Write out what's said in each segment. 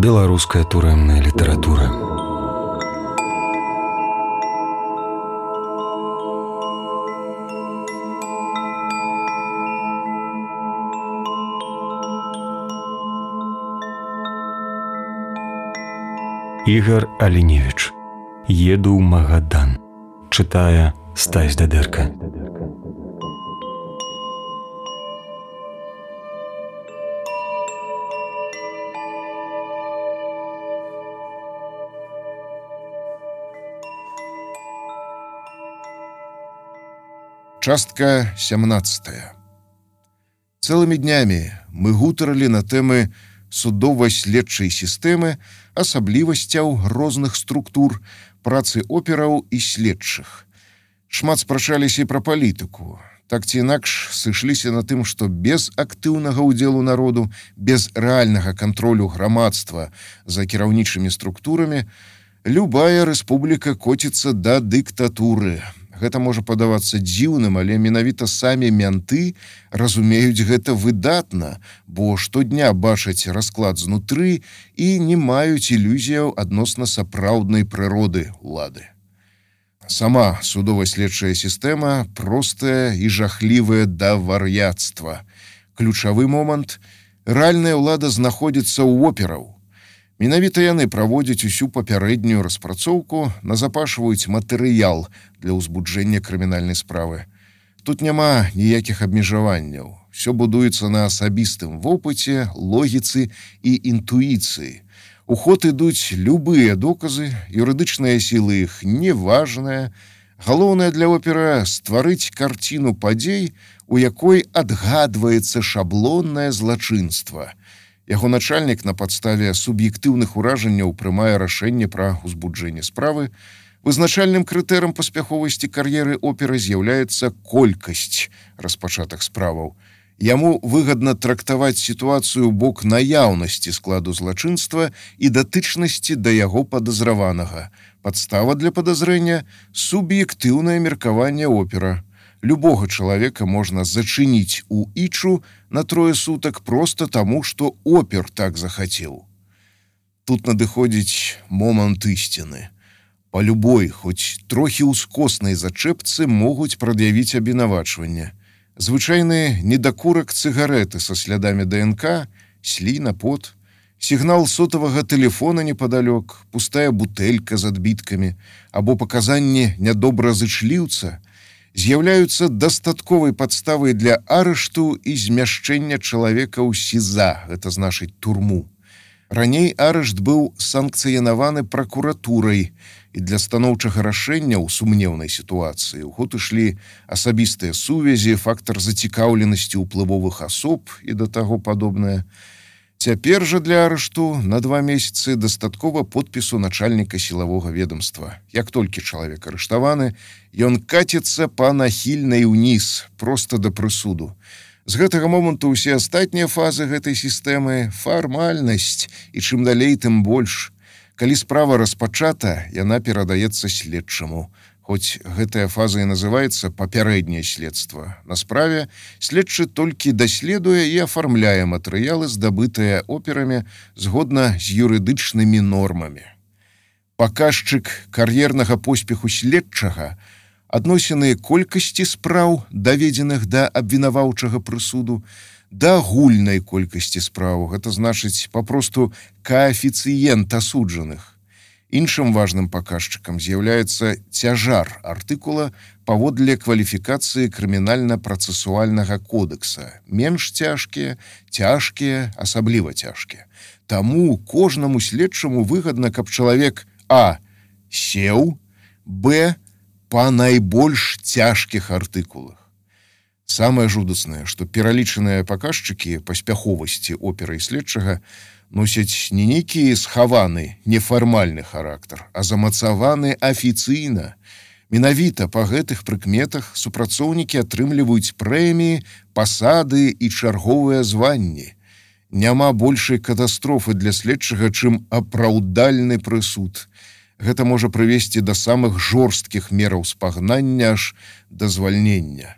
Беларуская турэмная літаратура. Ігар Аліневіч. Еду ў Магадан. Чытае Стась Дадэрка. Частка 17. Цэлымі днямі мы гутарылі на тэмы судова-следчай сістэмы, асаблівасцяў розных структур, працы операў і следчых. Шмат спрачаліся і пра палітыку. Так ці інакш сышліся на тым, што без актыўнага ўдзелу народу, без рэальнага кантролю грамадства за кіраўнічымі структурамі, любая рэспубліка коціцца да дыктатуры. Гэта можа падавацца дзіўным, але менавіта самі мянты разумеюць гэта выдатна, бо штодня бачаць расклад знутры і не маюць ілюзіяў адносна сапраўднай прыроды ўлады. Сама судова-следчая сістэма простая і жахлівая да вар'яцтва. Ключавы момант – рэальная ўлада знаходзіцца ў операў. Менавіта яны праводзяць усю папярэднюю распрацоўку, назапашваюць матэрыял для ўзбуджэння крымінальнай справы. Тут няма ніякіх абмежаванняў. Всё будуецца на асабістым вопыце, логіцы і інтуіцыі. У ход ідуць любыя доказы, юрыдычныя сілы іх неважныя. Галоўнае для опера – стварыць карціну падзей, у якой адгадваецца шаблоннае злачынства. Яго начальнік на падставе суб'ектыўных уражанняў прымае рашэнне пра ўзбуджэнне справы. Вызначальным крытэрам паспяховасці кар'еры оперы з'яўляецца колькасць распачатых справаў. Яму выгадна трактаваць сітуацыю ў бок наяўнасці складу злачынства і датычнасці да яго падазраванага. Падстава для падазрэння – суб'ектыўнае меркаванне опера. Любога чалавека можна зачыніць у ічу на 3 сутак проста таму, што опер так захацеў. Тут надыходзіць момант ісціны. Па любой, хоць трохі ўскоснай зачэпцы могуць прад'явіць абвінавачванне. Звычайны недакурак цыгарэты са слядамі ДНК, сліна, пот, сігнал сотавага тэлефона непадалёк, пустая бутэлька з адбіткамі або паказанні нядобразычліўца з'яўляюцца дастатковай падставай для арышту і змяшчэння чалавека ў СІЗА, гэта значыць турму. Раней арышт быў санкцыянаваны пракуратурай, і для станоўчага рашэння ў сумнеўнай сітуацыі ў ход ішлі асабістыя сувязі, фактар зацікаўленасці ўплывовых асоб і да таго падобнае. Цяпер жа для арышту на 2 месяцы дастаткова подпісу начальніка сілавога ведомства. Як толькі чалавек арыштаваны, ён каціцца па нахільнай уніз, проста да прысуду. З гэтага моманту ўсе астатнія фазы гэтай сістэмы – фармальнасць, і чым далей, тым больш. Калі справа распачата, яна перадаецца следчаму. Хоць гэтая фаза і называецца папярэдняе следства. На справе следчы толькі даследуе і афармляе матэрыялы, здабытыя операмі згодна з юрыдычнымі нормамі. Паказчык кар'ернага поспеху следчага – адносіны колькасці спраў, даведзеных да абвінаваўчага прысуду, да агульнай колькасці спраў. Гэта значыць папросту каэфіцыент асуджаных. Іншым важным паказчыкам з'яўляецца цяжар артыкула паводле кваліфікацыі крымінальна-працэсуальнага кодекса. Менш цяжкія, цяжкія, асабліва цяжкія. Таму кожнаму следчаму выгадна, каб чалавек А сеў, Б па найбольш цяжкіх артыкулах. Самае жудаснае, што пералічаныя паказчыкі паспяховасці оперы і следчага носяць не нейкі схаваны, нефармальны характар, а замацаваны афіцыйна. Менавіта па гэтых прыкметах супрацоўнікі атрымліваюць прэміі, пасады і чарговыя званні. Няма большай катастрофы для следчага, чым апраўдальны прысуд. Гэта можа прывесці да самых жорсткіх мераў спагнання аж да звальнення.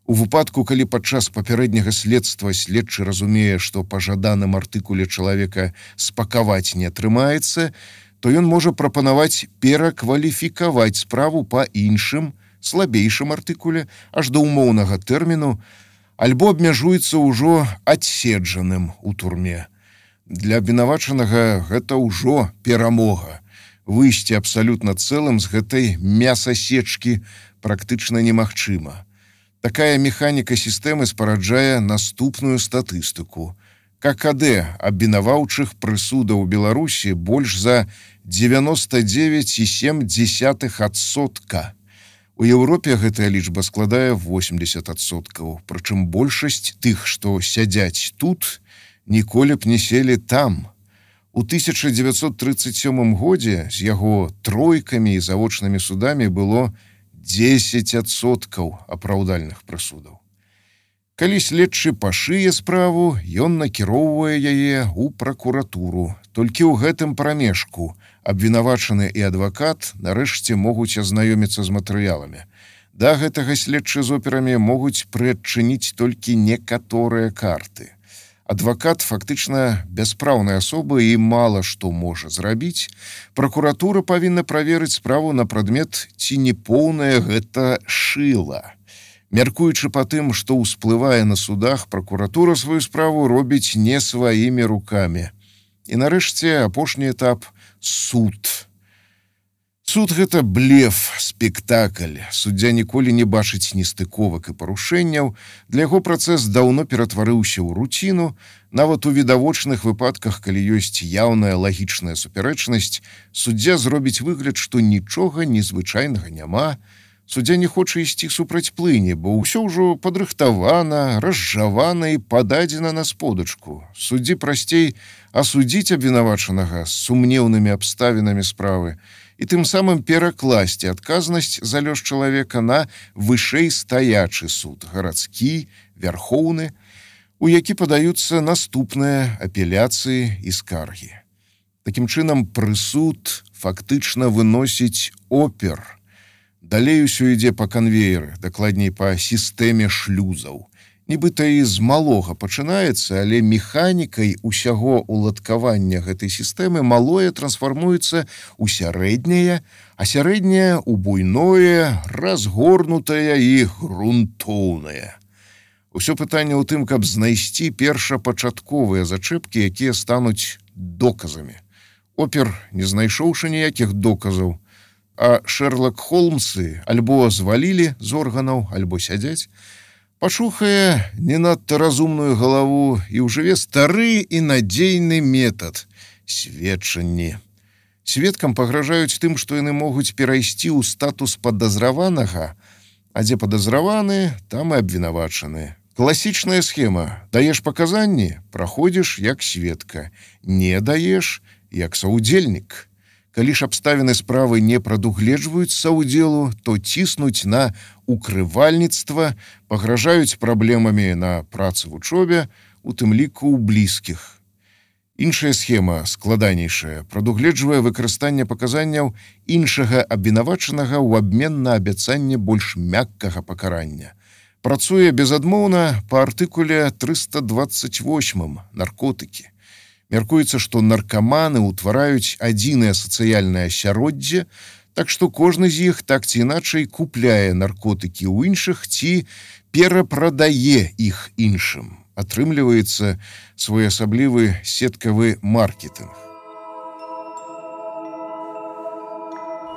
У выпадку, калі падчас папярэдняга следства следчы разумее, што па жаданым артыкуле чалавека спакаваць не атрымаецца, то ён можа прапанаваць перакваліфікаваць справу па іншым, слабейшым артыкуле аж да ўмоўнага тэрміну, альбо абмяжуецца ўжо адседжаным у турме. Для абвінавачанага гэта ўжо перамога. Выйсці абсалютна цэлым з гэтай мясасечкі практычна немагчыма. Такая механіка сістэмы спараджае наступную статыстыку. ККД абвінаваўчых прысудаў у Беларусі больш за 99,7%. У Еўропе гэтая лічба складае 80%, прычым большасць тых, што сядзяць тут, ніколі б не селі там. У 1937 годзе з яго тройкамі і завочнымі судамі было 10% апраўдальных прысудаў. Калі следчы пашые справу, ён накіроўвае яе ў пракуратуру. Толькі ў гэтым прамежку абвінавачаны і адвакат нарэшце могуць азнаёміцца з матэрыяламі. Да гэтага следчы з операмі могуць прыадчыніць толькі некаторыя карты. Адвакат фактычна бяспраўная асоба і мала што можа зрабіць. Пракуратура павінна праверыць справу на прадмет, ці не поўнае гэта шыла. Мяркуючы па тым, што ўсплывае на судах, пракуратура сваю справу робіць не сваімі рукамі. І нарэшце апошні этап – суд. Суд – гэта блеф, спектакль. Суддзя ніколі не бачыць нестыковак і парушэнняў. Для яго працэс даўно ператварыўся ў руціну. Нават у відавочных выпадках, калі ёсць яўная лагічная супярэчнасць, суддзя зробіць выгляд, што нічога незвычайнага няма. Суддзя не хоча ісці супраць плыні, бо ўсё ўжо падрыхтавана, разжавана і пададзена на сподачку. Суддзі прасцей асудзіць абвінавачанага з сумнеўнымі абставінамі справы і тым самым перакласці адказнасць за лёс чалавека на вышэй стаячы суд, гарадскі, вярхоўны, у які падаюцца наступныя апеляцыі і скаргі. Такім чынам, прысуд фактычна выносіць опер. Далей усё ідзе па канвееры, дакладней па сістэме шлюзаў. Нібыта і з малога пачынаецца, але механікай усяго уладкавання гэтай сістэмы малое трансфармуецца ў сярэдняе, а сярэдняе ў буйное, разгорнутае і грунтоўнае. Усё пытанне ў тым, каб знайсці першапачатковыя зачэпкі, якія стануць доказамі. Опер, не знайшоўшы ніякіх доказаў, а Шерлок Холмсы альбо звалілі з органаў, альбо сядзяць, пачухае не надта разумную галаву і ўжыве стары і надзейны метад – сведчанні. Сведкам пагражаюць тым, што яны могуць перайсці ў статус падазраванага, а дзе падазраваны, там і абвінавачаны. Класічная схема – даеш паказанні, праходзіш як сведка, не даеш як саўдзельнік. Калі ж абставіны справы не прадугледжваюць саўдзелу, то ціснуць на укрывальніцтва, пагражаюць праблемамі на працы в учобе, у тым ліку ў блізкіх. Іншая схема, складанейшая, прадугледжвае выкарыстанне паказанняў іншага абвінавачанага ў абмен на абяцанне больш мяккага пакарання. Працуе безадмоўна па артыкуле 328 наркотыкі. Мяркуецца, што наркаманы ўтвараюць адзінае сацыяльнае асяроддзе, так што кожны з іх так ці іначай купляе наркотыкі ў іншых ці перапрадае іх іншым. Атрымліваецца своеасаблівы сеткавы маркетынг.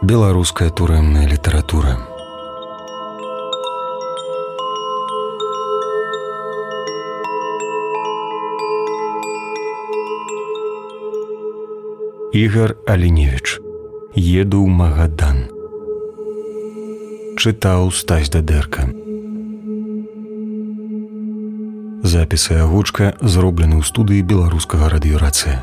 Беларуская турэмная літаратура. Ігар Аліневіч. Еду ў Магадан. Чытаў Стась Дадэрка. Запісы агучка зроблены ў студыі беларускага радыёрацыя.